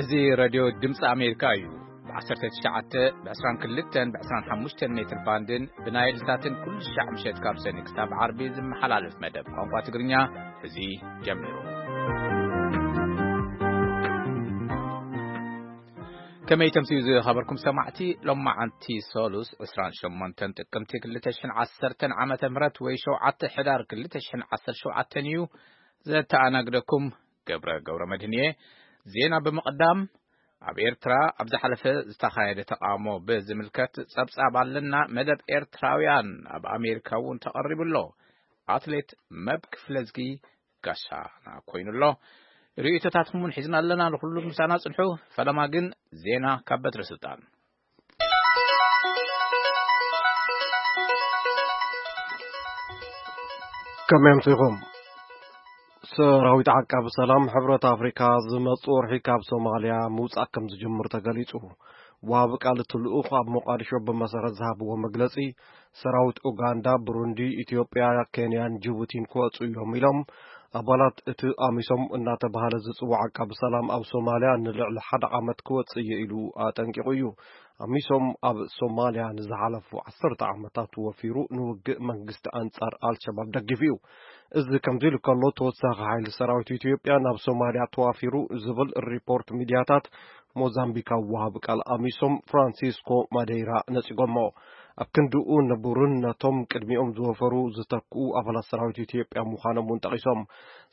እዚ ሬድዮ ድምፂ ኣሜሪካ እዩ። ብ19፣ ብ22፣ ብ25 ሜትር ባንድን ብናይል ሳትን ኩሉ ሻዕ ምሸት ካብ ሰኒ ክሳብ ዓርቢ ዝመሓላለፍ መደብ ቋንቋ ትግርኛ እዚ ጀሚሩ። ከመይ ተምስዩ ዝኸበርኩም ሰማዕቲ፣ ሎማዓንቲ ሰሉስ 28 ጥቅምቲ 2010 ዓመተ ምህረት ወይ 7 ሕዳር 2017 እዩ። ዘተኣናግደኩም ገብረ ገብረ መድህን እየ። ዜና ብምቕዳም፣ ኣብ ኤርትራ ኣብ ዝሓለፈ ዝተኻየደ ተቓውሞ ብዝምልከት ጸብጻብ ኣለና። መደብ ኤርትራውያን ኣብ ኣሜሪካ እውን ተቐሪቡ ኣሎ። ኣትሌት መብ ክፍለዝጊ ጋሻና ኮይኑ ኣሎ። ርእይቶታትኩም እውን ሒዝና ኣለና። ንኹሉ ምሳና ጽንሑ። ፈለማ ግን ዜና ካብ በትረ ስልጣን። ከመይ ኣምሲኹም? ሰራዊት ዓቃቢ ሰላም ሕብረት ኣፍሪካ ዝመጽእ ወርሒ ካብ ሶማልያ ምውጻእ ከም ዝጅምር ተገሊጹ። ወሃቢ ቃል እቲ ልኡኽ ኣብ ሞቃዲሾ ብመሰረት ዝሃብዎ መግለጺ፣ ሰራዊት ኡጋንዳ፣ ብሩንዲ፣ ኢትዮጵያ፣ ኬንያን ጅቡቲን ክወጽኡ እዮም ኢሎም። ኣባላት እቲ ኣሚሶም እናተባህለ ዝጽዋዕ ዓቃቢ ሰላም ኣብ ሶማልያ ንልዕሊ ሓደ ዓመት ክወጽእ እየ ኢሉ ኣጠንቂቑ እዩ። ኣሚሶም ኣብ ሶማልያ ንዝሓለፉ ዓሰርተ ዓመታት ወፊሩ ንውግእ መንግስቲ ኣንጻር ኣልሸባብ ደጊፉ እዩ። እዚ ከምዚ ኢሉ ከሎ፣ ተወሳኺ ሓይሊ ሰራዊት ኢትዮጵያ ናብ ሶማልያ ተዋፊሩ ዝብል ሪፖርት ሚድያታት ሞዛምቢካዊ ወሃቢ ቃል ኣሚሶም ፍራንሲስኮ ማዴይራ ነጺጎሞ። ኣብ ክንድኡ ንቡርን ነቶም ቅድሚኦም ዝወፈሩ ዝተክኡ ኣባላት ሰራዊት ኢትዮጵያ ምዃኖም እውን ጠቒሶም።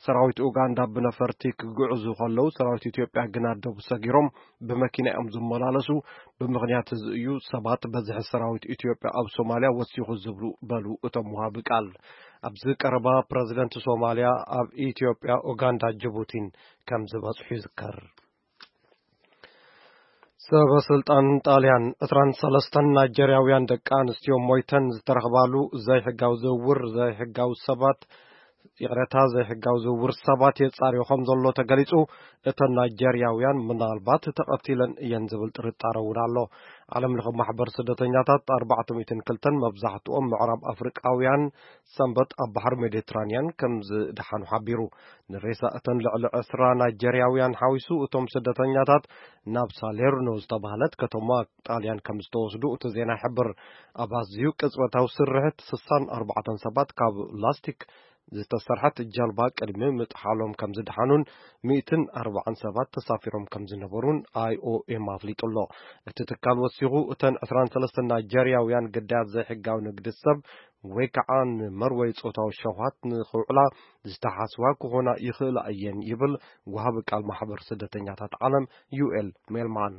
ሰራዊት ኡጋንዳ ብነፈርቲ ክግዕዙ ከለዉ፣ ሰራዊት ኢትዮጵያ ግና ደቡ ሰጊሮም ብመኪና እዮም ዝመላለሱ። ብምኽንያት እዚ እዩ ሰባት በዝሒ ሰራዊት ኢትዮጵያ ኣብ ሶማልያ ወሲኹ ዝብሉ፣ በሉ እቶም ወሃቢ ቃል። ኣብዚ ቀረባ ፕረዚደንት ሶማልያ ኣብ ኢትዮጵያ፣ ኡጋንዳ፣ ጅቡቲን ከም ዝበጽሑ ይዝከር። ሰበ ስልጣን ጣልያን 23 ናይጀርያውያን ደቂ ኣንስትዮ ሞይተን ዝተረኽባሉ ዘይሕጋዊ ዝውውር ዘይሕጋዊ ሰባት፣ ይቕረታ፣ ዘይሕጋዊ ዝውውር ሰባት የጻርዮ ከም ዘሎ ተገሊጹ። እተን ናይጀርያውያን ምናልባት ተቐቲለን እየን ዝብል ጥርጣረ እውን ኣሎ። ዓለም ለኸ ማሕበር ስደተኛታት 402ን መብዛሕትኦም ምዕራብ ኣፍሪቃውያን ሰንበት ኣብ ባሕሪ ሜዲትራንያን ከም ዝደሓኑ ሓቢሩ። ንሬሳ እተን ልዕሊ ዕስራ ናይጀርያውያን ሓዊሱ እቶም ስደተኛታት ናብ ሳሌርኖ ዝተባህለት ከተማ ጣልያን ከም ዝተወስዱ እቲ ዜና ይሕብር። ኣብ ኣዝዩ ቅጽበታዊ ስርሕት 64 ሰባት ካብ ላስቲክ ዝተሰርሐት ጀልባ ቅድሚ ምጥሓሎም ከም ዝደሓኑን 140 ሰባት ተሳፊሮም ከም ዝነበሩን ኣይኦኤም ኣፍሊጡ ኣሎ። እቲ ትካል ወሲኹ፣ እተን 23 ናይጀርያውያን ግዳያት ዘይሕጋዊ ንግዲ ሰብ ወይ ከዓ ንመርወይ ጾታዊ ሸውሃት ንኽውዕላ ዝተሓስዋ ክኾና ይኽእላ እየን ይብል ወሃቢ ቃል ማሕበር ስደተኛታት ዓለም ዩኤል ሜልማን።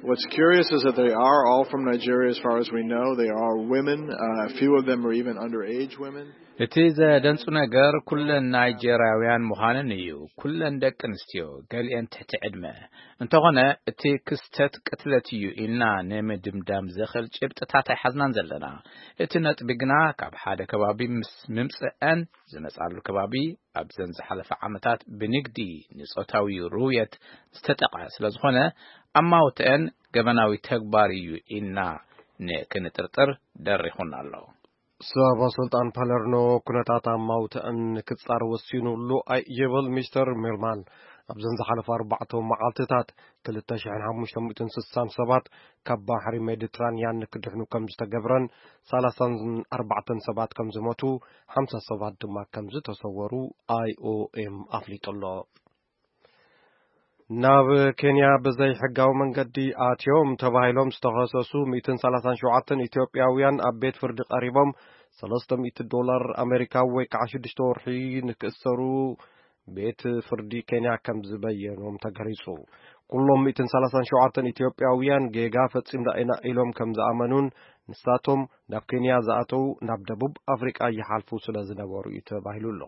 What's curious is that they are all from Nigeria as far as we know. They are women. Uh, a few of them are even underage women. እቲ ዘደንጹ ነገር ኩለን ናይጀርያውያን ምዃነን እዩ። ኩለን ደቂ ኣንስትዮ፣ ገሊአን ትሕቲ ዕድመ። እንተኾነ እቲ ክስተት ቅትለት እዩ ኢልና ንምድምዳም ዘኽእል ጭብጥታት ኣይሓዝናን ዘለና። እቲ ነጥቢ ግና ካብ ሓደ ከባቢ ምስ ምምጽአን ዝመጻሉ ከባቢ ኣብዘን ዝሓለፈ ዓመታት ብንግዲ ንጾታዊ ርውየት ዝተጠቕዐ ስለ ዝኾነ ኣማውትአን ገበናዊ ተግባር እዩ ኢልና ንክንጥርጥር ደሪኹና ኣሎ። ሰበ ስልጣን ፓለርኖ ኩነታት ኣማውትአን ንክጻር ወሲኑሉ ኣይ ይብል ሚስተር ሚልማን። ኣብዘን ዝሓለፉ ኣርባዕተ መዓልትታት 2,560 ሰባት ካብ ባሕሪ ሜዲትራንያን ንክድሕኑ ከም ዝተገብረን 34 ሰባት ከም ዝሞቱ፣ ሓምሳ ሰባት ድማ ከም ዝተሰወሩ ኣይኦኤም ኣፍሊጡ ኣሎ። ናብ ኬንያ ብዘይ ሕጋዊ መንገዲ ኣትዮም ተባሂሎም ዝተኸሰሱ 137 ኢትዮጵያውያን ኣብ ቤት ፍርዲ ቀሪቦም፣ 300 ዶላር ኣሜሪካ ወይ ከዓ ሽዱሽተ ወርሒ ንክእሰሩ ቤት ፍርዲ ኬንያ ከም ዝበየኖም ተገሊጹ። ኩሎም 137 ኢትዮጵያውያን ጌጋ ፈጺምና ኢና ኢሎም ከም ዝኣመኑን፣ ንሳቶም ናብ ኬንያ ዝኣተዉ ናብ ደቡብ ኣፍሪቃ ይሓልፉ ስለ ዝነበሩ እዩ ተባሂሉ ኣሎ።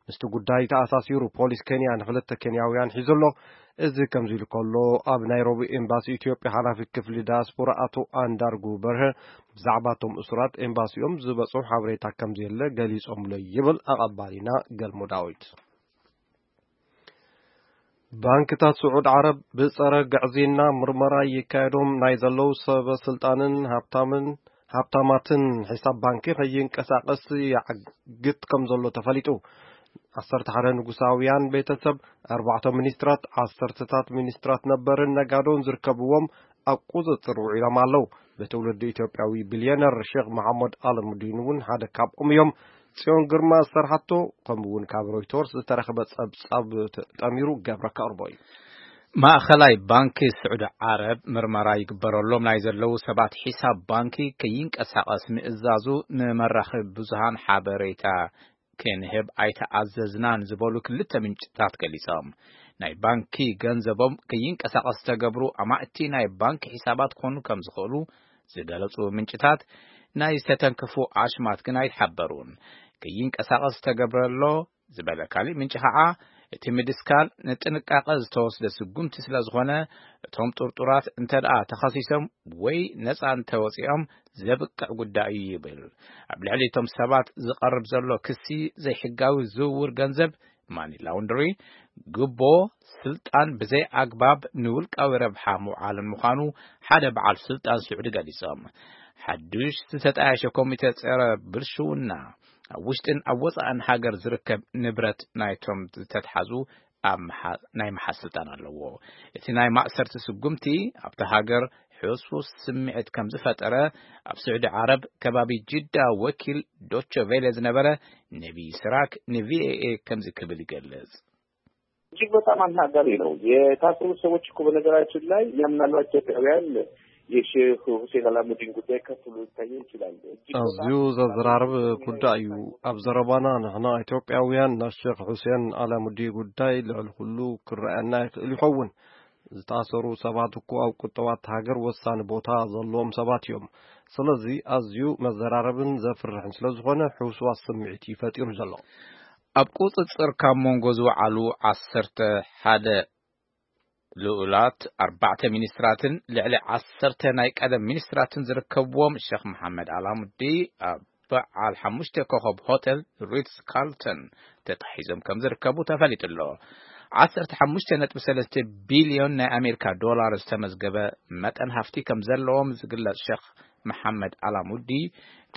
ምስቲ ጉዳይ ተኣሳሲሩ ፖሊስ ኬንያ ንክልተ ኬንያውያን ሒዙ ኣሎ። እዚ ከምዚ ኢሉ ከሎ፣ ኣብ ናይሮቢ ኤምባሲ ኢትዮጵያ ሓላፊ ክፍሊ ዳያስፖራ ኣቶ ኣንዳርጉ በርሀ ብዛዕባ እቶም እሱራት ኤምባሲኦም ዝበጽሑ ሓበሬታ ከም ዘየለ ገሊጾምሎ ይብል ኣቐባሊና ገልሞ ዳዊት። ባንክታት ስዑድ ዓረብ ብጸረ ግዕዝይና ምርመራ ይካየዶም ናይ ዘለዉ ሰበ ስልጣንን ሃብታምን፣ ሃብታማትን ሒሳብ ባንኪ ከይንቀሳቐስ ይዓግት ከም ዘሎ ተፈሊጡ። ዓሰርተ ሓደ ንጉሳውያን ቤተሰብ፣ ኣርባዕተ ሚኒስትራት፣ ዓሰርተታት ሚኒስትራት ነበርን ነጋዶን ዝርከብዎም ኣብ ቁጽጽር ውዒሎም ኣለዉ። ብትውልዲ ኢትዮጵያዊ ቢልዮነር ሼክ መሓመድ ኣለሙዲን እውን ሓደ ካብኦም እዮም። ጽዮን ግርማ ዝሰርሓቶ፣ ከምኡ እውን ካብ ሮይተርስ ዝተረኸበ ጸብጻብ ተጠሚሩ ገብረ ከቕርቦ እዩ። ማእኸላይ ባንኪ ስዑዲ ዓረብ ምርመራ ይግበረሎም ናይ ዘለዉ ሰባት ሒሳብ ባንኪ ከይንቀሳቐስ ምእዛዙ ንመራኸቢ ብዙሃን ሓበሬታ ክንህብ ኣይተኣዘዝናን ዝበሉ ክልተ ምንጭታት ገሊጾም። ናይ ባንኪ ገንዘቦም ከይንቀሳቐስ ዝተገብሩ ኣማእቲ ናይ ባንኪ ሒሳባት ክኾኑ ከም ዝኽእሉ ዝገለጹ ምንጭታት፣ ናይ ዝተተንከፉ ኣሽማት ግን ኣይተሓበሩን። ከይንቀሳቐስ ዝተገብረሎ ዝበለ ካሊእ ምንጪ ኸዓ፣ እቲ ምድስካል ንጥንቃቐ ዝተወስደ ስጉምቲ ስለ ዝኾነ፣ እቶም ጥርጡራት እንተ ደኣ ተኸሲሶም ወይ ነጻ እንተወጺኦም ዘብቅዕ ጉዳይ እዩ ይብል። ኣብ ልዕሊ እቶም ሰባት ዝቐርብ ዘሎ ክሲ ዘይሕጋዊ ዝውውር ገንዘብ፣ ማኒ ላውንድሪ፣ ግቦ፣ ስልጣን ብዘይ ኣግባብ ንውልቃዊ ረብሓ ምውዓልን ምዃኑ ሓደ በዓል ስልጣን ስዑዲ ገሊጾም። ሓዱሽ ዝተጣየሸ ኮሚተ ጸረ ብልሽውና ኣብ ውሽጥን ኣብ ወጻእን ሃገር ዝርከብ ንብረት ናይቶም ዝተትሓዙ ኣብ ምሓ-፣ ናይ ምሓዝ ስልጣን ኣለዎ። እቲ ናይ ማእሰርቲ ስጉምቲ ኣብቲ ሃገር ሕሱስ ስምዒት ከም ዝፈጠረ ኣብ ስዑዲ ዓረብ ከባቢ ጅዳ ወኪል ዶቸ ቬለ ዝነበረ ነቢ ስራክ ንቪኦኤ ከምዚ ክብል ይገልጽ። እጅግ በጣም አናጋሪ ነው። የታሰሩት ሰዎች እኮ በነገራችን ላይ ምናልባት ኢትዮጵያውያን የሼህ ሁሴን አላሙዲን ጉዳይ ከፍ ብሎ ሊታየው ይችላል። እጅግ በጣም አዝዩ ዘዘራርብ ጉዳይ እዩ። ኣብ ዘረባና ንሕና ኢትዮጵያውያን ናይ ሼክ ሁሴን አላሙዲ ጉዳይ ልዕሊ ኩሉ ክረኣየና ይኽእል ይኸውን። ዝታሰሩ ሰባት እኮ ኣብ ቁጠባት ሃገር ወሳኒ ቦታ ዘለዎም ሰባት እዮም። ስለዚ ኣዝዩ መዘራረብን ዘፍርሕን ስለ ዝኾነ ሕውስዋስ ስምዒት እዩ ፈጢሩ ዘሎ። ኣብ ቁጽጽር ካብ መንጎ ዝወዓሉ ዓሰርተ ሓደ ልኡላት፣ ኣርባዕተ ሚኒስትራትን ልዕሊ ዓሰርተ ናይ ቀደም ሚኒስትራትን ዝርከብዎም ሸኽ መሓመድ ኣላሙዲ ኣብ በዓል ሓሙሽተ ኮኸብ ሆቴል ሪትስ ካርልተን ተታሒዞም ከም ዝርከቡ ተፈሊጡ ኣሎ። ዓሰርተ ሓሙሽተ ነጥቢ ሰለስተ ቢልዮን ናይ ኣሜሪካ ዶላር ዝተመዝገበ መጠን ሃፍቲ ከም ዘለዎም ዝግለጽ ሸኽ መሓመድ ኣላሙዲ፣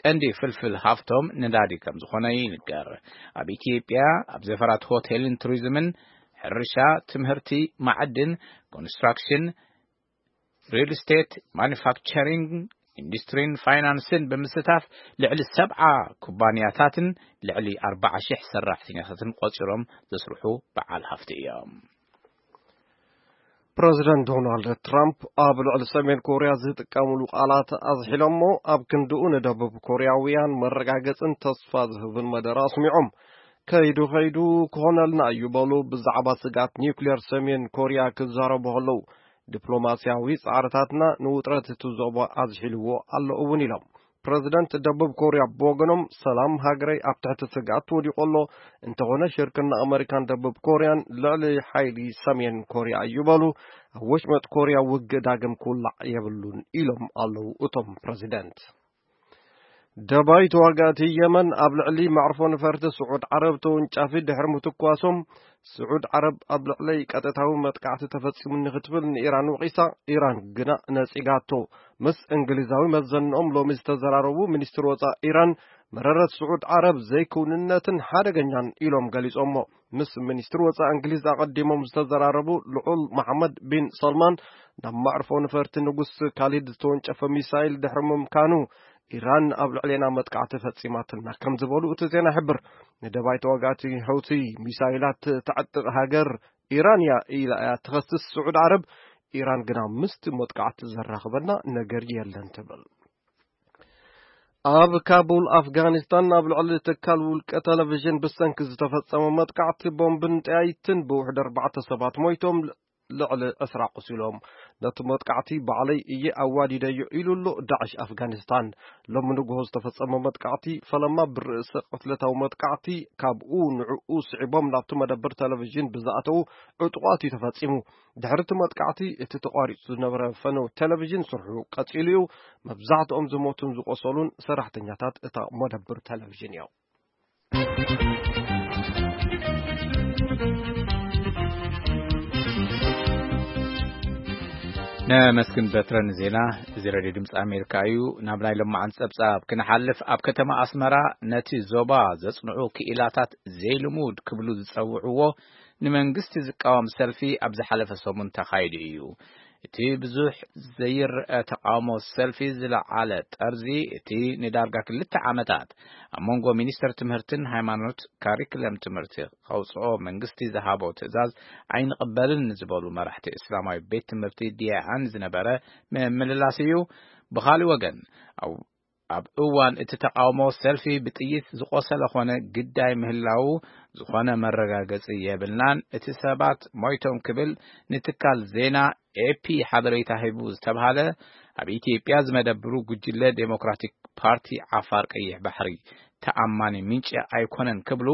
ቀንዲ ፍልፍል ሃፍቶም ነዳዲ ከም ዝኾነ ይንገር። ኣብ ኢትዮጵያ ኣብ ዘፈራት ሆቴልን ቱሪዝምን፣ ሕርሻ፣ ትምህርቲ፣ ማዕድን፣ ኮንስትራክሽን፣ ሪል ስቴት፣ ማኑፋክቸሪንግ፣ ኢንዱስትሪን ፋይናንስን ብምስታፍ ልዕሊ ሰብዓ ኩባንያታትን ልዕሊ ኣርባዓ ሺሕ ሰራሕተኛታትን ቆጺሮም ዘስርሑ በዓል ሃፍቲ እዮም። ፕረዚደንት ዶናልድ ትራምፕ ኣብ ልዕሊ ሰሜን ኮርያ ዝጥቀምሉ ቃላት ኣዝሒሎሞ፣ ኣብ ክንድኡ ንደቡብ ኮርያውያን መረጋገጽን ተስፋ ዝህብን መደረ ኣስሚዖም። ከይዱ ከይዱ ክኾነልና እዩ በሉ፣ ብዛዕባ ስግኣት ኒውክሌር ሰሜን ኮርያ ክዛረቡ ከለዉ። ዲፕሎማስያዊ ጻዕርታትና ንውጥረት እቲ ዞባ ኣዝሒልዎ ኣሎ እውን ኢሎም። ፕረዚደንት ደቡብ ኮርያ ብወገኖም፣ ሰላም ሃገረይ ኣብ ትሕቲ ስግኣት ወዲቑ ኣሎ፣ እንተኾነ ሽርክና ኣመሪካን ደቡብ ኮርያን ልዕሊ ሓይሊ ሰሜን ኮርያ እዩ በሉ። ኣብ ወሽመጥ ኮርያ ውግእ ዳግም ክውላዕ የብሉን ኢሎም ኣለዉ እቶም ፕረዚደንት። ደባይ ተዋጋእቲ የመን ኣብ ልዕሊ መዕርፎ ነፈርቲ ስዑድ ዓረብ ተወንጫፊ ድሕሪ ምትኳሶም፣ ስዑድ ዓረብ ኣብ ልዕለይ ቀጥታዊ መጥቃዕቲ ተፈጺሙኒ ክትብል ንኢራን ወቒሳ፣ ኢራን ግና ነጺጋቶ። ምስ እንግሊዛዊ መዘንኦም ሎሚ ዝተዘራረቡ ሚኒስትር ወጻኢ ኢራን፣ መረረት ስዑድ ዓረብ ዘይክውንነትን ሓደገኛን ኢሎም ገሊጾሞ። ምስ ሚኒስትር ወጻኢ እንግሊዝ ኣቐዲሞም ዝተዘራረቡ ልዑል መሓመድ ቢን ሰልማን፣ ናብ መዕርፎ ነፈርቲ ንጉስ ካሊድ ዝተወንጨፈ ሚሳይል ድሕሪ ምምካኑ፣ ኢራን ኣብ ልዕሌና መጥቃዕቲ ፈጺማትና ከም ዝበሉ እቲ ዜና ይሕብር። ንደባይ ተዋጋእቲ ሕውቲ ሚሳይላት ተዕጥቕ ሃገር ኢራን እያ ኢላ እያ ትኸስስ ስዑድ ዓረብ። ኢራን ግና ምስቲ መጥቃዕቲ ዘራኽበና ነገር የለን ትብል። ኣብ ካቡል ኣፍጋኒስታን ኣብ ልዕሊ ትካል ውልቀ ቴሌቪዥን ብሰንኪ ዝተፈጸመ መጥቃዕቲ ቦምብን ጠያይትን ብውሕድ ኣርባዕተ ሰባት ሞይቶም፣ ልዕሊ ዕስራ ቆሲሎም። ነቲ መጥቃዕቲ ባዕለይ እየ ኣዋዲደዮ ኢሉ ኣሎ ዳዕሽ ኣፍጋኒስታን። ሎሚ ንግሆ ዝተፈጸመ መጥቃዕቲ ፈለማ ብርእሰ ቅትለታዊ መጥቃዕቲ ካብኡ ንዕኡ ስዒቦም ናብቲ መደብር ቴሌቪዥን ብዝኣተዉ ዕጡቓት እዩ ተፈጺሙ። ድሕሪ እቲ መጥቃዕቲ እቲ ተቋሪጹ ዝነበረ ፈነው ቴሌቪዥን ስርሑ ቀጺሉ እዩ። መብዛሕትኦም ዝሞቱን ዝቆሰሉን ሰራሕተኛታት እታ መደብር ቴሌቪዥን እዮም። መስክን በትረ ንዜና። እዚ ሬድዮ ድምፂ ኣሜሪካ እዩ። ናብ ናይ ለማዓን ፀብፃብ ክንሓልፍ፣ ኣብ ከተማ ኣስመራ ነቲ ዞባ ዘፅንዑ ክኢላታት ዘይልሙድ ክብሉ ዝፀውዕዎ ንመንግስቲ ዝቃወም ሰልፊ ኣብ ዝሓለፈ ሰሙን ተኻይዱ እዩ። እቲ ብዙሕ ዘይረአ ተቃውሞ ሰልፊ ዝለዓለ ጠርዚ፣ እቲ ንዳርጋ ክልተ ዓመታት ኣብ መንጎ ሚኒስተር ትምህርትን ሃይማኖት ካሪክለም ትምህርቲ ከውፅኦ መንግስቲ ዝሃቦ ትእዛዝ ኣይንቕበልን ዝበሉ መራሕቲ እስላማዊ ቤት ትምህርቲ ዲያኣን ዝነበረ ምምልላስ እዩ። ብኻልእ ወገን፣ ኣብ፣ ኣብ እዋን እቲ ተቃውሞ ሰልፊ ብጥይት ዝቆሰለ ኾነ ግዳይ ምህላዉ ዝኾነ መረጋገጺ የብልናን። እቲ ሰባት ሞይቶም ክብል ንትካል ዜና ኤፒ ሓበሬታ ሂቡ ዝተብሃለ ኣብ ኢትዮጵያ ዝመደብሩ ጉጅለ ዴሞክራቲክ ፓርቲ ዓፋር ቀይሕ ባሕሪ ተኣማኒ ምንጪ ኣይኮነን ክብሉ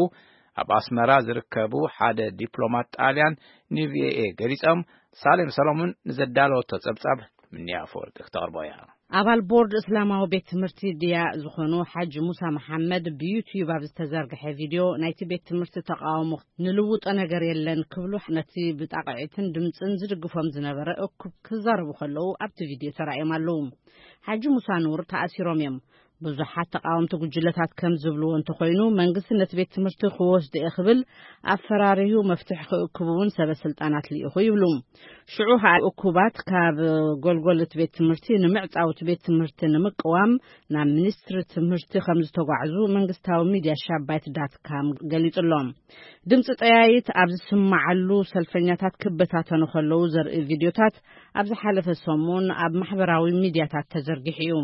ኣብ ኣስመራ ዝርከቡ ሓደ ዲፕሎማት ጣልያን ንቪኦኤ ገሊጾም። ሳሌም ሰሎሙን ንዘዳለወቶ ጸብጻብ ምንያ ኣፈወርቂ ክተቕርቦ እያ። ኣባል ቦርድ እስላማዊ ቤት ትምህርቲ ድያ ዝኾኑ ሓጂ ሙሳ መሓመድ ብዩትዩብ ኣብ ዝተዘርግሐ ቪድዮ፣ ናይቲ ቤት ትምህርቲ ተቃውሞ ንልውጦ ነገር የለን ክብሉ ነቲ ብጣቕዒትን ድምፅን ዝድግፎም ዝነበረ እኩብ ክዛረቡ ከለዉ ኣብቲ ቪድዮ ተራእዮም ኣለዉ። ሓጂ ሙሳ ኑር ተኣሲሮም እዮም። ብዙሓት ተቃወምቲ ጉጅለታት ከም ዝብልዎ እንተኾይኑ፣ መንግስቲ ነቲ ቤት ትምህርቲ ክወስዶ እየ ክብል ኣፈራሪሁ መፍትሒ ክእክቡ እውን ሰበ ስልጣናት ልኢኹ ይብሉ። ሽዑ ከዓ እኩባት ካብ ጎልጎል እቲ ቤት ትምህርቲ ንምዕጻው እቲ ቤት ትምህርቲ ንምቅዋም ናብ ሚኒስትሪ ትምህርቲ ከም ዝተጓዕዙ መንግስታዊ ሚድያ ሻባይት ዳት ካም ገሊጹ ኣሎ። ድምፂ ጠያይት ኣብ ዝስማዓሉ ሰልፈኛታት ክበታተኑ ከለዉ ዘርኢ ቪድዮታት ኣብ ዝሓለፈ ሰሙን ኣብ ማሕበራዊ ሚድያታት ተዘርጊሑ እዩ።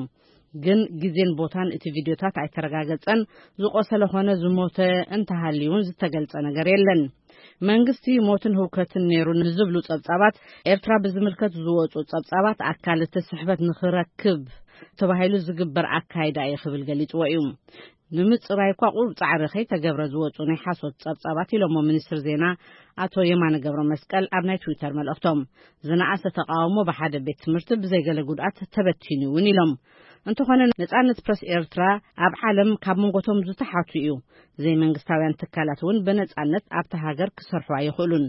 ግን ግዜን ቦታን እቲ ቪድዮታት ኣይተረጋገጸን። ዝቆሰለ ኾነ ዝሞተ እንተሃልዩ እውን ዝተገልጸ ነገር የለን። መንግስቲ ሞትን ህውከትን ነይሩ ንዝብሉ ጸብጻባት፣ ኤርትራ ብዝምልከት ዝወጹ ጸብጻባት ኣካል እቲ ስሕበት ንኽረክብ ተባሂሉ ዝግበር ኣካይዳ እዩ ክብል ገሊጽዎ እዩ። ንምጽራይ እኳ ቁሩብ ጻዕሪ ከይተገብረ ዝወጹ ናይ ሓሶት ጸብጻባት ኢሎሞ ሚኒስትር ዜና ኣቶ የማነ ገብረ መስቀል ኣብ ናይ ትዊተር መልእኽቶም። ዝነኣሰ ተቃውሞ ብሓደ ቤት ትምህርቲ ብዘይገለ ጉድኣት ተበቲኑ እውን ኢሎም። እንተኾነ ነጻነት ፕረስ ኤርትራ ኣብ ዓለም ካብ መንጎቶም ዝተሓቱ እዩ። ዘይመንግስታውያን ትካላት እውን ብነጻነት ኣብታ ሃገር ክሰርሑ ኣይኽእሉን።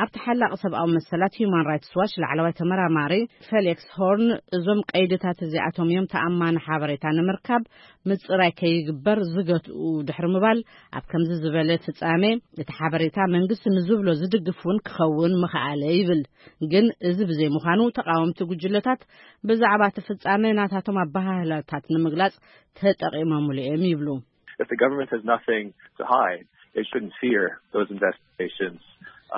ኣብቲ ሓላቂ ሰብኣዊ መሰላት ሂዩማን ራይትስ ዋች ላዕለዋይ ተመራማሪ ፌሊክስ ሆርን፣ እዞም ቀይድታት እዚኣቶም እዮም ተኣማኒ ሓበሬታ ንምርካብ ምጽራይ ከይግበር ዝገትኡ ድሕሪ ምባል፣ ኣብ ከምዚ ዝበለ ፍጻሜ እቲ ሓበሬታ መንግስቲ ንዝብሎ ዝድግፍ እውን ክኸውን ምኽኣለ ይብል። ግን እዚ ብዘይምዃኑ ተቃወምቲ ጉጅለታት ብዛዕባ እቲ ፍጻሜ ናታቶም ኣበሃህላታት ንምግላጽ ተጠቂሞምሉ እዮም ይብሉ። If the government has nothing to hide, it shouldn't fear those investigations.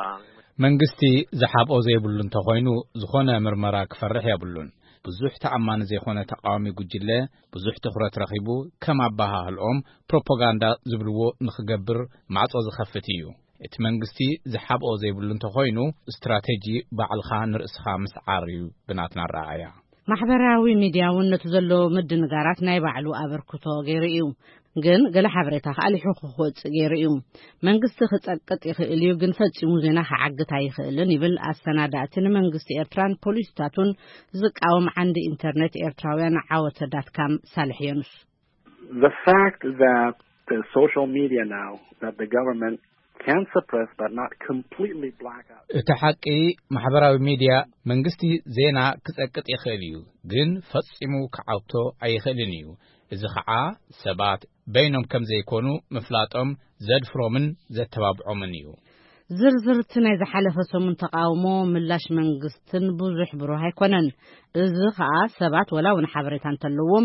Um, መንግስቲ ዝሓብኦ ዘይብሉ እንተኾይኑ፣ ዝኾነ ምርመራ ክፈርሕ የብሉን። ብዙሕ ተኣማኒ ዘይኮነ ተቃዋሚ ጉጅለ ብዙሕ ትኹረት ረኺቡ፣ ከም ኣበሃህልኦም ፕሮፓጋንዳ ዝብልዎ ንኽገብር ማዕጾ ዝኸፍት እዩ። እቲ መንግስቲ ዝሓብኦ ዘይብሉ እንተኾይኑ፣ ስትራቴጂ ባዕልኻ ንርእስኻ ምስዓር እዩ ብናትና ኣረኣእያ። ማሕበራዊ ሚድያ እውን ነቲ ዘሎ ምድንጋራት ናይ ባዕሉ ኣበርክቶ ገይሩ እዩ። ግን ገለ ሓበሬታ ከኣ ሊሑ ክወጽእ ገይሩ እዩ። መንግስቲ ክጸቅጥ ይኽእል እዩ፣ ግን ፈጺሙ ዜና ክዓግት ኣይኽእልን ይብል ኣሰናዳእቲ ንመንግስቲ ኤርትራን ፖሊሲታቱን ዝቃወም ዓንዲ ኢንተርኔት ኤርትራውያን ዓወተ ዳት ካም ሳልሕ የኑስ። The fact that the social media now that the government can suppress but not completely black out. እቲ ሓቂ፣ ማሕበራዊ ሚድያ መንግስቲ ዜና ክጸቅጥ ይኽእል እዩ፣ ግን ፈጺሙ ክዓውቶ ኣይኽእልን እዩ። እዚ ኸዓ ሰባት በይኖም ከም ዘይኮኑ ምፍላጦም ዘድፍሮምን ዘተባብዖምን እዩ። ዝርዝርቲ ናይ ዝሓለፈ ሰሙን ተቃውሞ ምላሽ መንግስትን ብዙሕ ብሩህ ኣይኮነን። እዚ ኸኣ ሰባት ወላ እውን ሓበሬታ እንተለዎም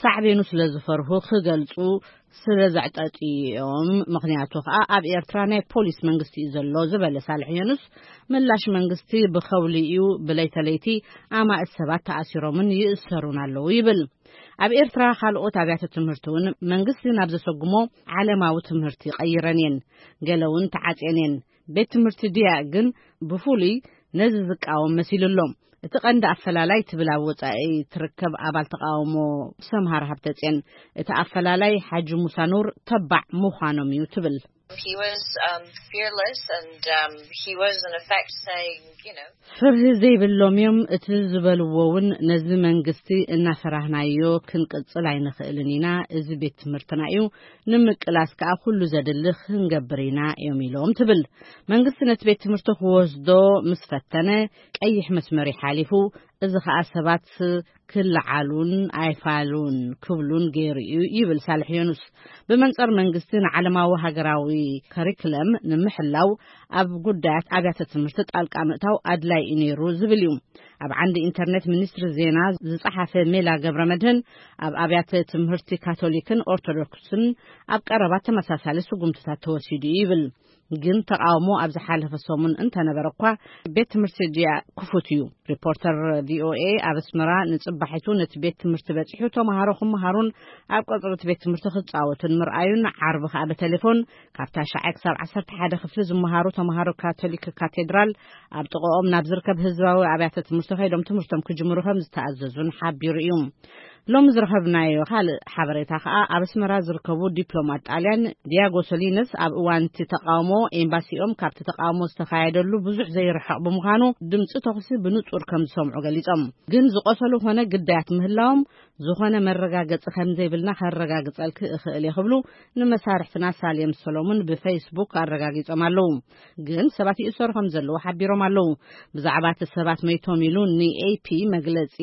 ሳዕቤኑ ስለ ዝፈርሁ ክገልጹ ስለ ዘዕጠጥዮም። ምኽንያቱ ኸኣ ኣብ ኤርትራ ናይ ፖሊስ መንግስቲ እዩ ዘሎ ዝበለ ሳልሕ የኑስ፣ ምላሽ መንግስቲ ብኸውሊ እዩ፣ ብለይተለይቲ ኣማእት ሰባት ተኣሲሮምን ይእሰሩን ኣለዉ ይብል። ኣብ ኤርትራ ካልኦት ኣብያተ ትምህርቲ እውን መንግስቲ ናብ ዘሰጉሞ ዓለማዊ ትምህርቲ ቀይረን እየን፣ ገለ እውን ተዓጽየን እየን። ቤት ትምህርቲ ድያ ግን ብፍሉይ ነዚ ዝቃወም መሲሉ ኣሎ። እቲ ቀንዲ ኣፈላላይ ትብል ኣብ ወጻኢ ትርከብ ኣባል ተቃውሞ ሰምሃር ሃብተጽዮን፣ እቲ ኣፈላላይ ሓጂ ሙሳ ኑር ተባዕ ምዃኖም እዩ ትብል። He was, um, fearless and, um, he was in effect saying, you know, ፍርሂ ዘይብሎም እዮም። እቲ ዝበልዎ እውን ነዚ መንግስቲ እናፈራህናዮ ክንቅጽል ኣይንኽእልን ኢና። እዚ ቤት ትምህርትና እዩ። ንምቅላስ ከኣ ኩሉ ዘድሊ ክንገብር ኢና እዮም ኢሎም ትብል። መንግስቲ ነቲ ቤት ትምህርቲ ክወስዶ ምስ ፈተነ ቀይሕ መስመር ሓሊፉ እዚ ኸኣ ሰባት ክለዓሉን ኣይፋሉን ክብሉን ገይሩ እዩ ይብል ሳልሕ ዮኑስ። ብመንጸር መንግስቲ ንዓለማዊ ሃገራዊ ከሪክለም ንምሕላው ኣብ ጉዳያት ኣብያተ ትምህርቲ ጣልቃ ምእታው ኣድላይ እዩ ነይሩ ዝብል እዩ። ኣብ ዓንዲ ኢንተርኔት ሚኒስትሪ ዜና ዝጸሓፈ ሜላ ገብረ መድህን፣ ኣብ ኣብያተ ትምህርቲ ካቶሊክን ኦርቶዶክስን ኣብ ቀረባ ተመሳሳሊ ስጉምትታት ተወሲዱ እዩ ይብል። ግን ተቃውሞ ኣብ ዝሓለፈ ሰሙን እንተነበረ እኳ፣ ቤት ትምህርቲ ዲያ ክፉት እዩ። ሪፖርተር ቪኦኤ ኣብ ኣስመራ ንጽባሒቱ ነቲ ቤት ትምህርቲ በጺሑ ተምሃሮ ክመሃሩን ኣብ ቀጽሪ እቲ ቤት ትምህርቲ ክጻወቱን ምርኣዩን፣ ዓርቢ ከኣ ብቴሌፎን ካብታ ሻዕ ክሳብ ዓሰርተ ሓደ ክፍሊ ዝመሃሩ ተምሃሮ ካቶሊክ ካቴድራል ኣብ ጥቕኦም ናብ ዝርከብ ህዝባዊ ኣብያተ ትምህርቲ ከይዶም ትምህርቶም ክጅምሩ ከም ዝተኣዘዙን ሓቢሩ እዩ። ሎሚ ዝረኸብናዮ ካልእ ሓበሬታ ከኣ፣ ኣብ ኣስመራ ዝርከቡ ዲፕሎማት ጣልያን ዲያጎ ሶሊነስ ኣብ እዋን እቲ ተቃውሞ ኤምባሲኦም ካብቲ ተቃውሞ ዝተኻየደሉ ብዙሕ ዘይርሕቕ ብምዃኑ፣ ድምጺ ተኹሲ ብንጹር ከም ዝሰምዑ ገሊጾም። ግን ዝቆሰሉ ኮነ ግዳያት ምህላዎም ዝኾነ መረጋገጺ ከም ዘይብልና ከረጋግጸልኪ እኽእል እየ ክብሉ ንመሳርሕትና ሳሌም ሰሎሙን ብፌስቡክ ኣረጋጊጾም ኣለዉ። ግን ሰባት ይእሰሩ ከም ዘለዉ ሓቢሮም ኣለዉ። ብዛዕባ እቲ ሰባት መይቶም ኢሉ ንኤፒ መግለጺ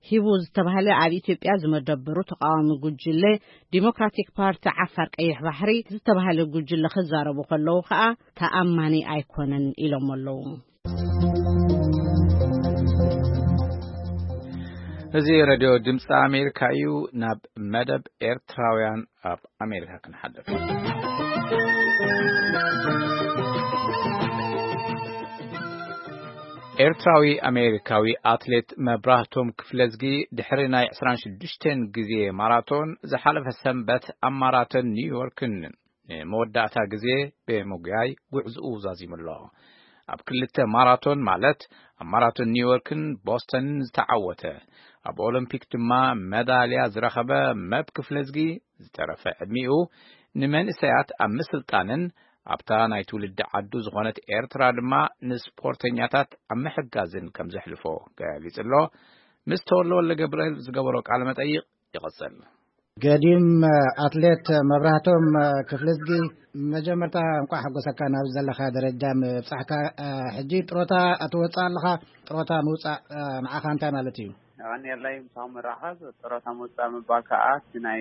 ሂቡ ዝተባህለ ኣብ ኢትዮጵያ ዝመደበሩ ተቃዋሚ ጉጅለ ዲሞክራቲክ ፓርቲ ዓፋር ቀይሕ ባሕሪ ዝተባህለ ጉጅለ ክዛረቡ ከለዉ ከኣ ተኣማኒ ኣይኮነን ኢሎም ኣለዉ። እዚ ሬድዮ ድምፂ ኣሜሪካ እዩ። ናብ መደብ ኤርትራውያን ኣብ ኣሜሪካ ክንሓልፍ። ኤርትራዊ ኣሜሪካዊ ኣትሌት መብራህቶም ክፍለዝጊ ድሕሪ ናይ ዕስራን ሽዱሽተን ግዜ ማራቶን ዝሓለፈ ሰንበት ኣብ ማራቶን ኒውዮርክን ንመወዳእታ ግዜ ብምጉያይ ጉዕዝኡ ዛዚሙ ኣሎ። ኣብ ክልተ ማራቶን ማለት ኣብ ማራቶን ኒውዮርክን ቦስተንን ዝተዓወተ፣ ኣብ ኦሎምፒክ ድማ መዳልያ ዝረኸበ መብ ክፍለዝጊ ዝተረፈ ዕድሚኡ ንመንእሰያት ኣብ ምስልጣንን ኣብታ ናይ ትውልዲ ዓዱ ዝኾነት ኤርትራ ድማ ንስፖርተኛታት ኣብ ምሕጋዝን ከም ዘሕልፎ ገሊጹ ኣሎ። ምስ ተወልደ ወልደ ገብርኤል ዝገበሮ ቃለ መጠይቕ ይቕጽል። ገዲም ኣትሌት መብራህቶም ክፍለዝጊ፣ መጀመርታ እንቋዕ ሓጎሰካ ናብ ዘለኻ ደረጃ ምብጻሕካ። ሕጂ ጥሮታ ትወጽእ ኣለኻ። ጥሮታ ምውጻእ ንዓኻ እንታይ ማለት እዩ? የቐንየለይ ምሳኹም ምራኸብ። ጥሮታ ምውጻእ ምባል ከኣ እቲ ናይ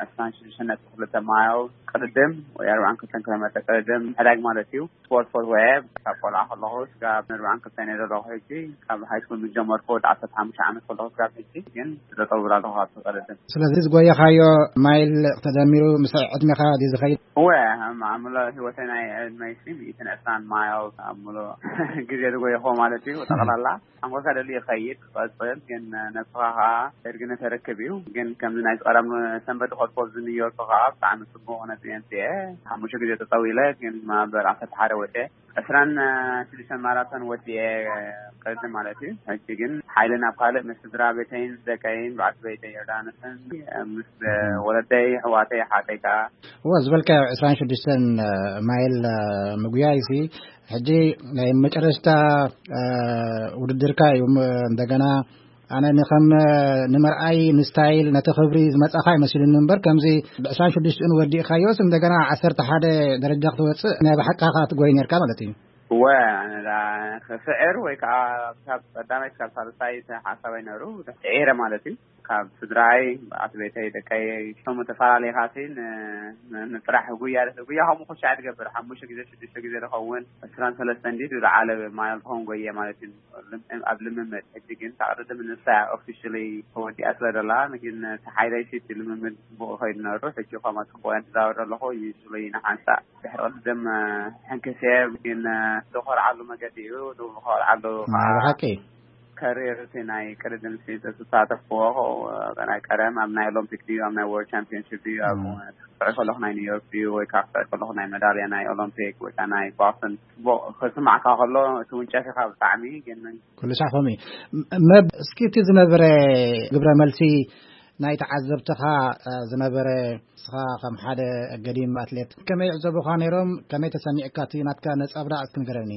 ዕስራን ሽዱሽተን ነጥቢ ክልተ ማይል ቅድድም ወይ ኣርባዓን ክልተን ኪሎ ሜትር ቅድድም ምሕዳግ ማለት እዩ። ስፖርት ፈትወ እየ። ካብ ቆልዓ ከለኹ ስጋብ ኣርባዓን ክልተን እየ ዘለኹ። ሕጂ ካብ ሃይ ስኩል ምስ ጀመርኩ ወዲ ዓሰርተ ሓሙሽተ ዓመት ከለኹ ስጋብ ሕጂ ግን ዝጠጠው ብላ ኣለኹ ኣብቲ ቅድድም። ስለዚ ዝጎየኻዮ ማይል ተደሚሩ ምስ ዕድሜኻ ድዩ ዝኸይድ? እወ፣ ኣምሎ ህይወተይ ናይ ዕድመይ ሲ ሚእትን ዕስራን ማይል ኣምሎ ግዜ ዝጎየኹዎ ማለት እዩ። ጠቕላላ ሓንጎልካ ደልዩ ይኸይድ ክቐጽል፣ ግን ነብስኻ ኸኣ እርግነ ተረክብ እዩ። ግን ከምዚ ናይ ቀደም ሰንበት ዝኸድኮ ኣብዚ ኒውዮርክ ኸኣ ብጣዕሚ ጽቡቕ ነጥቢ ኣምጺኤ። ሓሙሽተ ግዜ ጠጠው ኢለ፣ ግን ማበር ዓሰርተ ሓደ ወዲኤ። ዕስራን ሽዱሽተን ማራቶን ወዲኤ ቅድም ማለት እዩ። ሕጂ ግን ሓይሊ ናብ ካልእ ምስ ስድራ ቤተይን ደቀይን በዓልቲ ቤተይ ዮርዳኖስን ምስ ወለደይ፣ ኣሕዋተይ፣ ሓተይ ከኣ። እወ፣ ዝበልካዮ ዕስራን ሽዱሽተን ማይል ምጉያይ ሲ ሕጂ ናይ መጨረሽታ ውድድርካ እዩ። እንደገና ኣነ ንኸም ንምርኣይ ንስታይል ነቲ ክብሪ ዝመጻኻ ይመስሉኒ እምበር፣ ከምዚ ብዕስራን ሽዱሽተን ወዲእካዮስ እንደገና ዓሰርተ ሓደ ደረጃ ክትወጽእ ናይ ብሓቃኻ ትጎይ ነርካ ማለት እዩ። እወ፣ ኣነ ዳ ክስዕር ወይ ከዓ ካብ ቀዳማይ ክሳብ ሳልሳይ እቲ ሓሳብ ኣይነሩ፣ ስዒረ ማለት እዩ። ካብ ስድራይ፣ ኣቲ ቤተይ፣ ደቀይ፣ እቶም ተፈላለኻ ሲ ን-፣ ን-፣ ንጥራሕ ጉያ፣ ጉያ ከምኡ ኩሻዕ ትገብር፣ ሓሙሽተ ግዜ፣ ሽዱሽተ ግዜ ዝኸውን፣ ዕስራን ሰለስተን እንዲ ዝለዓለ ማይል ትኸውን ጎየ ማለት እዩ። ልም-፣ ኣብ ልምምድ፣ ሕጂ ግን እታ ቅድድም ንሳ ኦፊሽሊ ተወዲኣ ስለ ዘላ፣ ግን እቲ ሓይለይ ሲ እቲ ልምምድ ጽቡቕ ይኸይድ ነሩ። ሕጂ ከምኣ ጽቡቕ እየ ዝዛወር ዘለኹ፣ ዩዝሊ ንሓንሳእ ድሕሪ ቅድድም፣ እ፣ ሕንክስ እየ፣ ግን፣ እ፣ ዝኾርዓሉ መገዲ እዩ፣ ዝኾርዓሉ ናይ ከዓ ብሓቂ። ከሪር እቲ ናይ ቅድድም ሲ ዝተሳተፍዎ፣ እ፣ ናይ ቀደም ኣብ ናይ ኦሎምፒክ ድዩ፣ ኣብ ናይ ወርልድ ቻምፒዮንሺፕ ድዩ፣ ኣብ፣ እ። ክስዕር ከለኹ ናይ ኒውዮርክ ድዩ፣ ወይ ከዓ ክስዕር ከለኹ ናይ መዳልያ ናይ ኦሎምፒክ ወይ ከዓ ናይ ቦስተን፣ ጽቡቕ ክስማዕካ ከሎ፣ እቲ ውንጨፊኻ ብጣዕሚ፣ ግን ኩሉ ሳዕ ከምኡ እዩ። ም-፣ መብ፣ እስኪ እቲ ዝነበረ ግብረ መልሲ ናይ ተዓዘብትኻ፣ እ፣ ዝነበረ፣ ንስኻ ከም ሓደ ገዲም ኣትሌት ከመይ ይዕዘቡኻ ነይሮም? ከመይ ተሰሚዕካ? እቲ ናትካ ነጸብራቕ እስኪ ንገረኒ።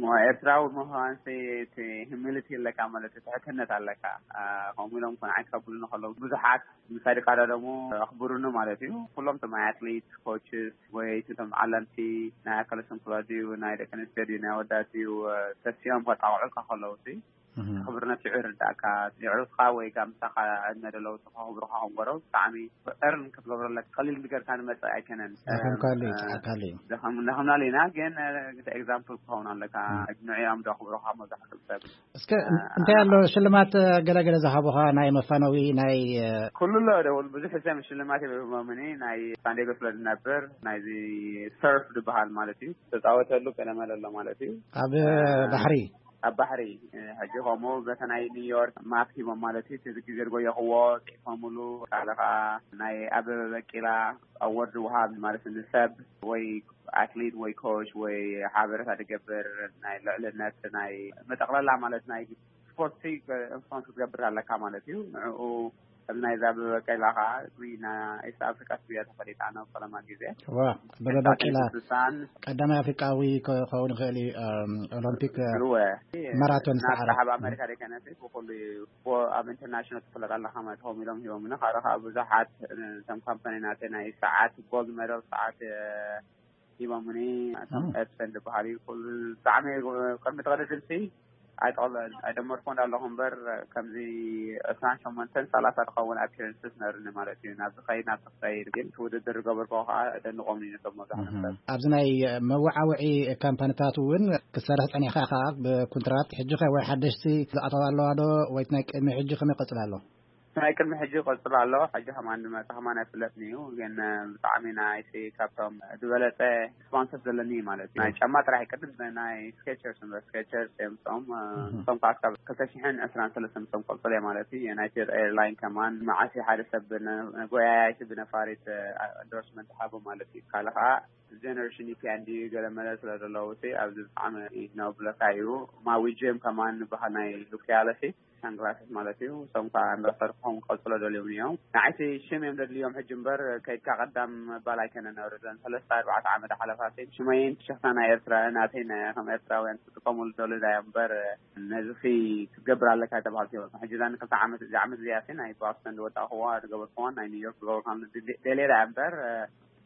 ሞ ኤርትራዊ ምዃንሲ እቲ ሂሚሊቲ ኣለካ ማለት እዩ፣ ትሕትነት ኣለካ። እ፣ ከምኡ ኢሎም ኮን ዓይት ከብሉኒ ከለዉ ብዙሓት ምሳይ ድቃዳደሙ ኣኽብሩኒ ማለት እዩ። ኩሎም እቶም ኣትሌት፣ ኮችስ ወይ እቶም ዓለምቲ ናይ ኣካለ ስንኩላት ድዩ፣ ናይ ደቂ ኣንስትዮ ድዩ፣ ናይ ኣወዳት ድዩ፣ እ፣ ተሲኦም ከጣቕዑልካ ከለዉ ሲ ክብርነት ይዕርዳካ። የዕሩትካ ወይ ጋምሳኻ ዕድመ ደለዉ ተኸብሩኻ ከምገረው ብጣዕሚ ዕርን ክትገብረለካ ቀሊል ንገርካ ንመጽእ ኣይከነን። ደኸምካሉ እዩ፣ ጸዓካሉ እዩ። ደኸምናሉ ኢና፣ ግን ኤግዛምፕል ክኸውን ኣለካ። ንዕኦም ዶ ክብሩኻ መብዛሕትኡ ሰብ እስከ እንታይ ኣሎ ሽልማት ገለገለ ዝሃቡኻ ናይ መፋነዊ ናይ ኩሉ ኣሎ ደውል ብዙሕ ሰብ ሽልማት ይብህሞምኒ። ናይ ሳንዴጎ ስለ ዝነብር ናይዚ ሰርፍ ዝበሃል ማለት እዩ ተፃወተሉ ቀለመለ ኣሎ ማለት እዩ። ኣብ ባሕሪ ኣብ ባሕሪ ሕጂ ከምኡ በተ ናይ ኒውዮርክ ማፕ ሂቦም ማለት እዩ። እዚ ግዜ ዝጎየኽዎ ጽሒፎምሉ ካልእ ከዓ ናይ ኣበበ በቂላ ኣወርድ ውሃብ ማለት ንሰብ ወይ ኣትሊት ወይ ኮች ወይ ሓበረታ ዝገብር ናይ ልዕልነት ናይ መጠቕለላ ማለት ናይ ስፖርት ኢንፍሉንስ ክትገብር ኣለካ ማለት እዩ። ንዕኡ ከም ናይ ዛበበ ቀላ ከዓ ጉይና ኤስት ኣፍሪካ ስብያ ተፈሊጣ ነው ቀለማ ግዜ ዋ በበበቂላ ስሳን ቀዳማይ ኣፍሪቃዊ ክኸውን ይኽእል እዩ። ኦሎምፒክ እወ ማራቶን ሰዓረ ናብ ኣሜሪካ ደይከነስ ብኩሉ እዩ። ኣብ ኢንተርናሽናል ትፍለጥ ኣለካ ማለት ሆም ኢሎም ሂቦምና ካልእ ከዓ ብዙሓት ከም ካምፓኒ ናተ ናይ ሰዓት ጎልድ ሜዳል ሰዓት ሂቦምኒ። እቶም ኤፕሰን ዝበሃል እዩ ኩሉ ብጣዕሚ ቅድሚ ተቐደድምሲ ኣይጠቕለ ኣይደመርኮ እንዳለኹ እምበር ከምዚ ዕስራን ሸሞንተን ሰላሳ ዝኸውን ኣፒረንስስ ነርኒ ማለት እዩ። ናብ ዝኸይድ ናብ ዝኸይድ ግን እቲ ውድድር ዝገበርኮ ከዓ ደንቆምኒ ነቶም መብዛሕትኦም ሰብ ኣብዚ ናይ መወዓውዒ ካምፓኒታት እውን ክሰርሕ ጸኒሕካ ከዓ ብኩንትራት ሕጂ ከ ወይ ሓደሽቲ ዝኣተዋ ኣለዋ ዶ ወይ ናይ ቅድሚ ሕጂ ከመይ ቀጽል ኣሎ? ናይ ቅድሚ ሕጂ ይቐጽል ኣሎ። ሕጂ ከማን ዝመጽእ ከማን ኣይፍለጥን እዩ። ግን ብጣዕሚ ናይቲ ካብቶም ዝበለጸ ስፖንሰር ዘለኒ ማለት እዩ። ናይ ጫማ ጥራሕ ቅድም ናይ ስኬቸርስ እምበር ስኬቸርስ እዮም እቶም እቶም ከዓ ካብ ክልተ ሽሕን ዕስራን ሰለስተን እቶም ቀጽል እየ ማለት እዩ። ዩናይትድ ኤርላይን ከማን መዓሲ ሓደ ሰብ ጎያያይቲ ብነፋሪት ኢንዶርስመንት ሃቦ ማለት እዩ። ካልእ ከዓ ጀነሬሽን ኢፒ እንዲ ገለ መለ ስለ ዘለዉ ኣብዚ ብጣዕሚ ነብለካ እዩ። ማዊ ጄም ከማን ዝበሃል ናይ ሉኪያለሲ ሳንግላስስ ማለት እዩ። እሶም ከዓ እንዳሰርሑ ክኸውን ክቐፅሎ ደልዮም እዮም። ንዓይቲ ሽም እዮም ደድልዮም ሕጂ እምበር ከይድካ ቀዳም መባል ኣይከነን ነብርለን ሰለስተ ኣርባዕተ ዓመት ሓለፋት ሽመይን ትሸፍታ ናይ ኤርትራ ናተይ ናይ ከም ኤርትራውያን ክጥቀሙሉ ደልዳ እዮም እምበር ነዚ ክትገብር ኣለካ ተባሃልቲ እዮም። ሕጂ ዛ ንክልተ ዓመት እዚ ዓመት እዚኣ ናይ ቦስተን ዝወጣእክዋ ዝገበርክዋን ናይ ኒውዮርክ ዝገበርካ ደሌዳ እምበር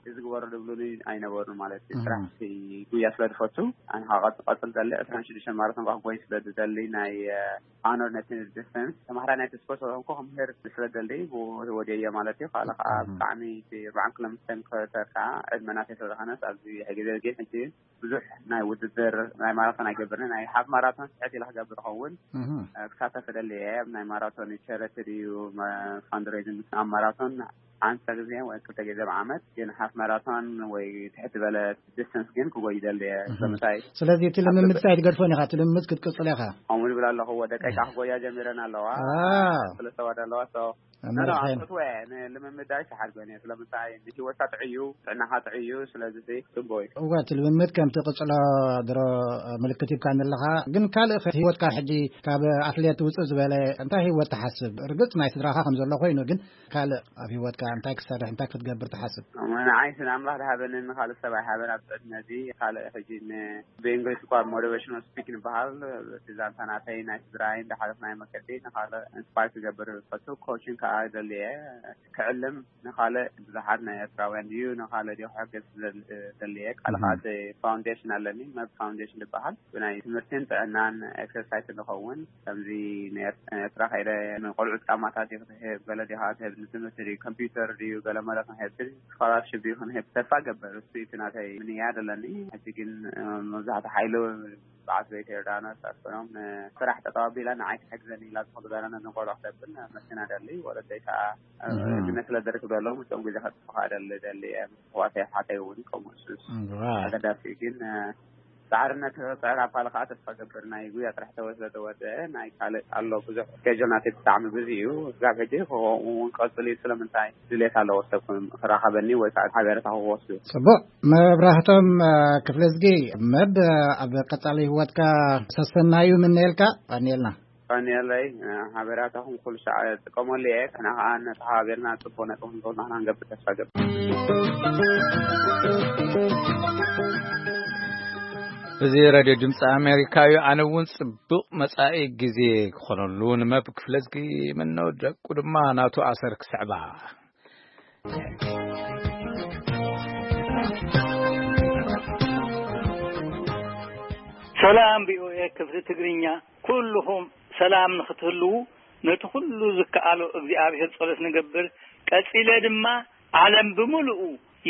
እዚ ግበሩ ዝብሉኒ ኣይነበሩን ማለት እዩ። ስራሕ ጉያ ስለ ዝፈቱ ኣነ ከዓ ቀፅል ደሊ ዕስራን ሽዱሽተን ማራቶን ከዓ ክጎይ ስለ ዝደሊ ናይ ኣኖር ነቲ ዲስተንስ ተማሃራይ ናይ ተስፖርት ስለዝኮንኩ ክምህር ስለ ደሊ ወዲየ ማለት እዩ። ካልእ ከዓ ብጣዕሚ እቲ ኣርባዓን ኪሎ ሜትር ክሰርካ ዕድመ ናተይ ስለ ዝኮነስ ኣብዚ ግዜ ግን ሕጂ ብዙሕ ናይ ውድድር ናይ ማራቶን ኣይገብርን ናይ ሓፍ ማራቶን ስሕት ኢለ ክገብር ይኸውን ክሳተፍ ደሊ እየ። ናይ ማራቶን ቸረቲ ድዩ ፋንድሬዚንግ ኣብ ማራቶን ሓንሳ ግዜ ወይ ክልተ ግዜ ብዓመት ግን ሓፍ ማራቶን ወይ ትሕቲ በለ ዲስተንስ ግን ክጎይ ይደሊ እየ። ስለምንታይ ስለዚ እቲ ልምምድ ሳ ኣይትገድፎን ኢኻ እቲ ልምምድ ክትቅፅል ኢኻ። ከምኡ ዝብል ኣለኹ ወደ ቀይቃ ክጎያ ጀሚረን ኣለዋ ስለሰዋድ ኣለዋ ኣመርሐን። እወ ንልምምድ ኣይሰሓድጎን እየ ስለምንታይ ንሂወትካ ጥዕዩ ጥዕናኻ ጥዕዩ ስለዚ ጽቡቅ እዩ። እወ እቲ ልምምድ ከም ትቅጽሎ ድሮ ምልክት ሂብካኒ ኣለኻ። ግን ካልእ ከ ህይወትካ ሕጂ ካብ ኣትሌት ውጽእ ዝበለ እንታይ ህይወት ትሓስብ? ርግጽ ናይ ስድራኻ ከም ዘሎ ኮይኑ ግን ካልእ ኣብ ህይወትካ እንታይ ክትሰርሕ እንታይ ክትገብር ትሓስብ? ንዓይ ስለ ኣምላኽ ዝሃበኒ ንኻልእ ሰብ ኣይሃበን ኣብዚ ዕድመ እዚ። ካልእ ሕጂ ን ብእንግሊዝ እኳ ሞቲቬሽናል ስፒክ ንበሃል እቲ ዛንታ ናተይ ናይ ስድራይ እንዳሓለፍናዮ መገዲ ንኻልእ ኢንስፓየር ክገብር ዝፈቱ ኮችን ከዓ ይደሊ እየ። ክዕልም ንኻልእ ብዙሓት ናይ ኤርትራውያን ድዩ ንኻልእ ድዩ ክሕግዝ ዝደሊ እየ። ካልእ ከዓ እቲ ፋውንዴሽን ኣለኒ መብ ፋውንዴሽን ዝበሃል ብናይ ትምህርትን ጥዕናን ኤክሰርሳይስን ዝኸውን ከምዚ ንኤርትራ ከይደ ንቆልዑ ጫማታት ድዩ ክትህብ ገለ ድዩ ክትህብ ንትምህርቲ ድዩ ኮምፒውተር ድዩ ገለ መለ ክንህብ ስኮላርሽፕ ድዩ ክንህብ ተስፋ ገበር እሱ እቲ ናተይ ምንያ ዘለኒ። ሕጂ ግን መብዛሕትኡ ሓይሉ በዓል ቤት ዮርዳኖስ ኣስፈኖም ንስራሕ ጠጠው ኣቢላ ንዓይ ትሕግዘኒ ኢላ ዝኸዱ ጋራ ነዞም ቆልዑ ክተብል መኪና ደሊ ወለደይ ከዓ ግነ ስለ ደርክ በሎም እቶም ግዜ ከጥፍኻ ደሊ ደሊ እየ። ኣሕዋተይ ኣሓተይ እውን ከምኡ እሱስ ኣገዳሲ እዩ። ግን ፃዕርነት ክፅዕር ኣብ ካልእ ከዓ ተስፋ ገብር ናይ ጉያ ጥራሕ ተወ ስለ ተወደአ ናይ ካልእ ኣሎ ብዙሕ ስኬጁል ናተይ ብጣዕሚ ብዙ እዩ። ስጋብ ሕጂ ከምኡ እውን ቀፅል እዩ። ስለምንታይ ድሌት ኣለዎ ሰብ ክራኸበኒ ወይ ከዓ ሓበረታ ክወስዱ። ጽቡቅ መብራህቶም ክፍለዝጊ መብ ኣብ ቀጻሊ ህይወትካ ሰሰናዩ ምነየልካ ቀንየልና። ቀንየለይ ሓበራታኹም ኩሉ ሰዓት ጥቀመሉ እየ። ከና ከዓ ነተሓባቢርና ጽቡቅ ነጥቢ ክንገብር ንሕና ንገብር ተስፋ ገብር። እዚ ሬድዮ ድምፂ ኣሜሪካ እዩ። ኣነ እውን ጽቡቕ መጻኢ ግዜ ክኾነሉ ንመብ ክፍለዝጊ ምነው ደቁ ድማ ናቱ ኣሰር ክስዕባ። ሰላም ቪኦኤ ክፍሊ ትግርኛ ኩልኹም ሰላም ንኽትህልዉ ነቲ ኩሉ ዝከኣሎ እግዚኣብሔር ጸሎት ንገብር። ቀጺለ ድማ ዓለም ብምልኡ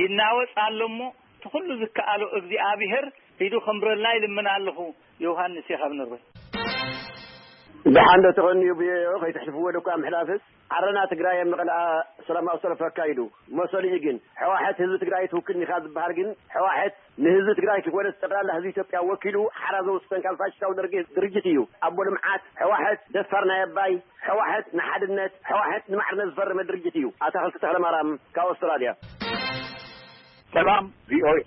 ይናወጽ ኣሎ እሞ እቲ ኩሉ ዝከኣሎ እግዚኣብሔር ኢዱ ከምብረልና ይልምን ኣለኹ። ዮሃንስ እየ ካብ ኖርወይ። ደሓን ዶ ትቐንዩ ብዮ ከይትሕልፍዎ ደኳ ምሕላፍስ ዓረና ትግራይ ኣብ መቐለኣ ሰላማዊ ሰልፊ ኣካይዱ። መሰሉ እዩ ግን ሕዋሕት ህዝቢ ትግራይ ትውክል ኢኻ ዝበሃል ግን ሕዋሕት ንህዝቢ ትግራይ ክኾነስ ጠቕላላ ህዝቢ ኢትዮጵያ ወኪሉ ሓራ ዘውስፈን ካብ ፋሽስታዊ ደርጊ ድርጅት እዩ። ኣቦ ልምዓት ሕዋሕት፣ ደፋር ናይ ኣባይ ሕዋሕት፣ ንሓድነት ሕዋሕት፣ ንማዕርነት ዝፈረመ ድርጅት እዩ። ኣታኽልቲ ተኽለማርያም ካብ ኣውስትራልያ። ሰላም ቪኦኤ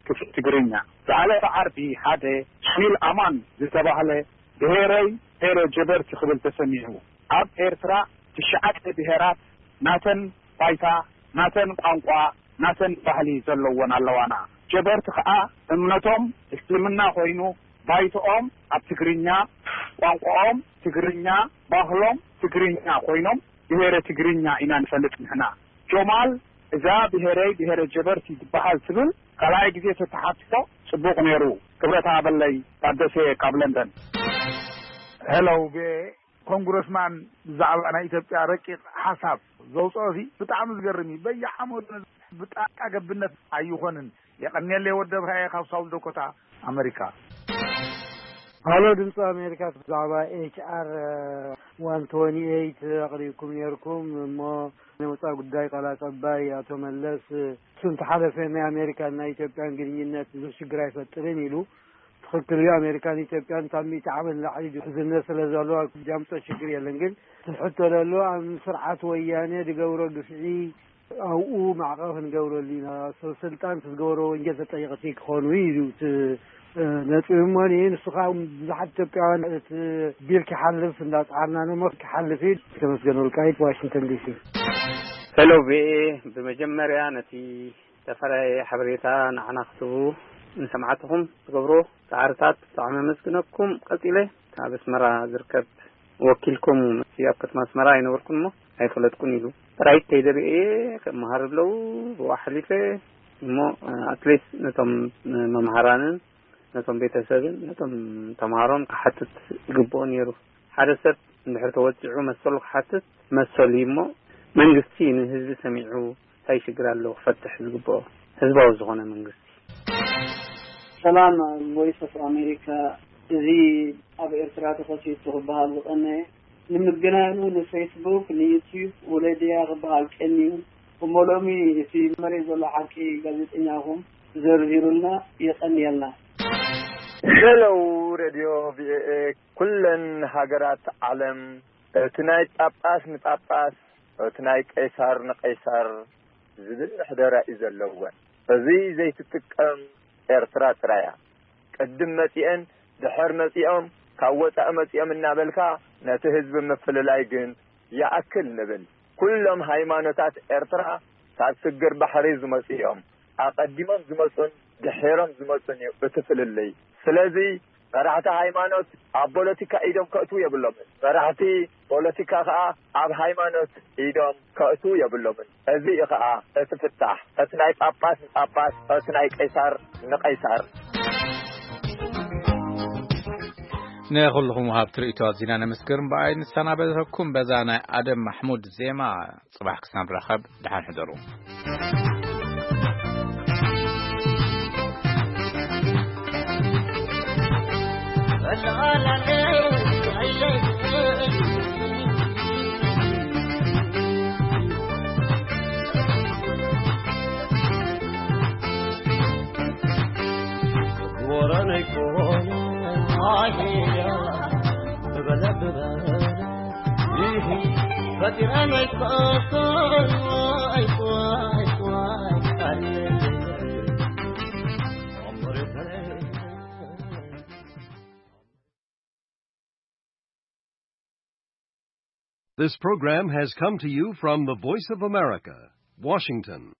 ክፍል ትግርኛ። ዝሓለፈ ዓርቢ ሓደ ሱኒል ኣማን ዝተባህለ ብሄረይ ብሄረ ጀበርቲ ክብል ተሰሚዑ። ኣብ ኤርትራ ትሽዓተ ብሄራት ናተን ባይታ፣ ናተን ቋንቋ፣ ናተን ባህሊ ዘለወን ኣለዋና። ጀበርቲ ከኣ እምነቶም እስልምና ኮይኑ ባይትኦም ኣብ ትግርኛ፣ ቋንቋኦም ትግርኛ፣ ባህሎም ትግርኛ ኮይኖም ብሄረ ትግርኛ ኢና ንፈልጥ ንሕና። ጆማል እዛ ብሄረይ ብሄረ ጀበርቲ ትበሃል ትብል ካልኣይ ግዜ ተተሓትቶ ጽቡቕ ነይሩ። ክብረት ሃበለይ። ታደሰ ካብ ለንደን። ሄሎ ቪኦኤ፣ ኮንግረስማን ብዛዕባ ናይ ኢትዮጵያ ረቂቕ ሓሳብ ዘውፅኦ ሲ ብጣዕሚ ዝገርም እዩ። በየዓመቱ ብጣልቃ ገብነት ኣይኾንን። የቐንየለይ ወደብካ እየ ካብ ሳውዝ ዶኮታ ኣመሪካ። ሃሎ ድምፂ ኣሜሪካ፣ ብዛዕባ ኤች ኣር ዋን ትወንቲ ኤይት ኣቕሪብኩም ነይርኩም እሞ ናይ ወፃኢ ጉዳይ ቃል ኣቀባይ ኣቶ መለስ እሱ እንተሓለፈ ናይ ኣሜሪካን ናይ ኢትዮጵያን ግንኙነት ብዙሕ ሽግር ኣይፈጥርን ኢሉ። ትኽክል እዩ። ኣሜሪካን ኢትዮጵያን ካብ ሚእቲ ዓመት ንላዕሊ ድሕዝነት ስለ ዘሎ ጃምፆ ሽግር የለን። ግን ትሕቶ ዘሎ ኣብ ስርዓት ወያነ ድገብሮ ግፍዒ ኣብኡ ማዕቐብ ክንገብረሉ ኢና። ሰብ ስልጣን እቲ ዝገበሮ ወንጀል ተጠየቕቲ ክኾኑ እዩ እቲ ነጥቢ። እሞ ንሱ ከዓ ብዙሓት ኢትዮጵያውያን እቲ ቢል ክሓልፍ እንዳፀዓርና ንሞ ክሓልፍ እዩ። ተመስገን ወልቃይት ዋሽንግተን ዲሲ። ሄሎ ቪኤ፣ ብመጀመርያ ነቲ ተፈራየ ሓበሬታ ንዓና ክትህቡ ንሰምዓትኹም ትገብሮ ፃዕርታት ብጣዕሚ ኣመስግነኩም። ቀፂለ ካብ ኣስመራ ዝርከብ ወኪልኩም እቲ ኣብ ከተማ ኣስመራ ኣይነበርኩን እሞ ኣይፈለጥኩን ኢሉ ጥራይ ከይደርየ እየ ከመሃር ብለው ብኡ ሓሊፈ እሞ ኣትሊስት ነቶም መምሃራንን ነቶም ቤተሰብን ነቶም ተምሃሮን ክሓትት ይግብኦ ነይሩ። ሓደ ሰብ እንድሕር ተወፂዑ መሰሉ ክሓትት መሰሉ እዩ እሞ መንግስቲ ንህዝቢ ሰሚዑ እንታይ ሽግር ኣለዎ ክፈትሕ ዝግብኦ ህዝባዊ ዝኾነ መንግስቲ። ሰላም ቮይስ ኦፍ ኣሜሪካ። እዚ ኣብ ኤርትራ ተኸሲቱ ክበሃል ዝቐነየ ንምግናኑ ንፌስቡክ ንዩትዩብ ወለድያ ክበሃል ቀንዩ እሞ ሎሚ እቲ መሬት ዘሎ ሓቂ ጋዜጠኛኹም ዘርዚሩልና የቐንየልና። ሄሎ ሬድዮ ቪኦኤ ኩለን ሃገራት ዓለም እቲ ናይ ጳጳስ ንጳጳስ እቲ ናይ ቀይሳር ንቀይሳር ዝብል ሕደራ እዩ ዘለወን። እዚ ዘይትጥቀም ኤርትራ ጥራይ እያ። ቅድም መጺኤን ድሕር መጺኦም ካብ ወጻኢ መጺኦም እናበልካ ነቲ ህዝቢ ምፍልላይ ግን ይኣክል ንብል። ኩሎም ሃይማኖታት ኤርትራ ካብ ስግር ባሕሪ ዝመጹ እዮም። ኣቐዲሞም ዝመጹን ድሒሮም ዝመጹን እዩ እቲ ፍልልይ። ስለዚ መራሕቲ ሃይማኖት ኣብ ፖለቲካ ኢዶም ከእትዉ የብሎምን። መራሕቲ ፖለቲካ ከኣ ኣብ ሃይማኖት ኢዶም ከእትዉ የብሎምን። እዚ እዩ ከኣ እቲ ፍታሕ፣ እቲ ናይ ጳጳስ ንጳጳስ፣ እቲ ናይ ቀይሳር ንቀይሳር። ንኹልኹም ወሃብቲ ርእይቶ ኣዚና ነመስግን። ብኣይ ንሰናበተኩም በዛ ናይ ኣደም ማሕሙድ ዜማ። ጽባሕ ክሳብ ንራኸብ ደሓን ሕደሩ። This program has come to you from the Voice of America, Washington.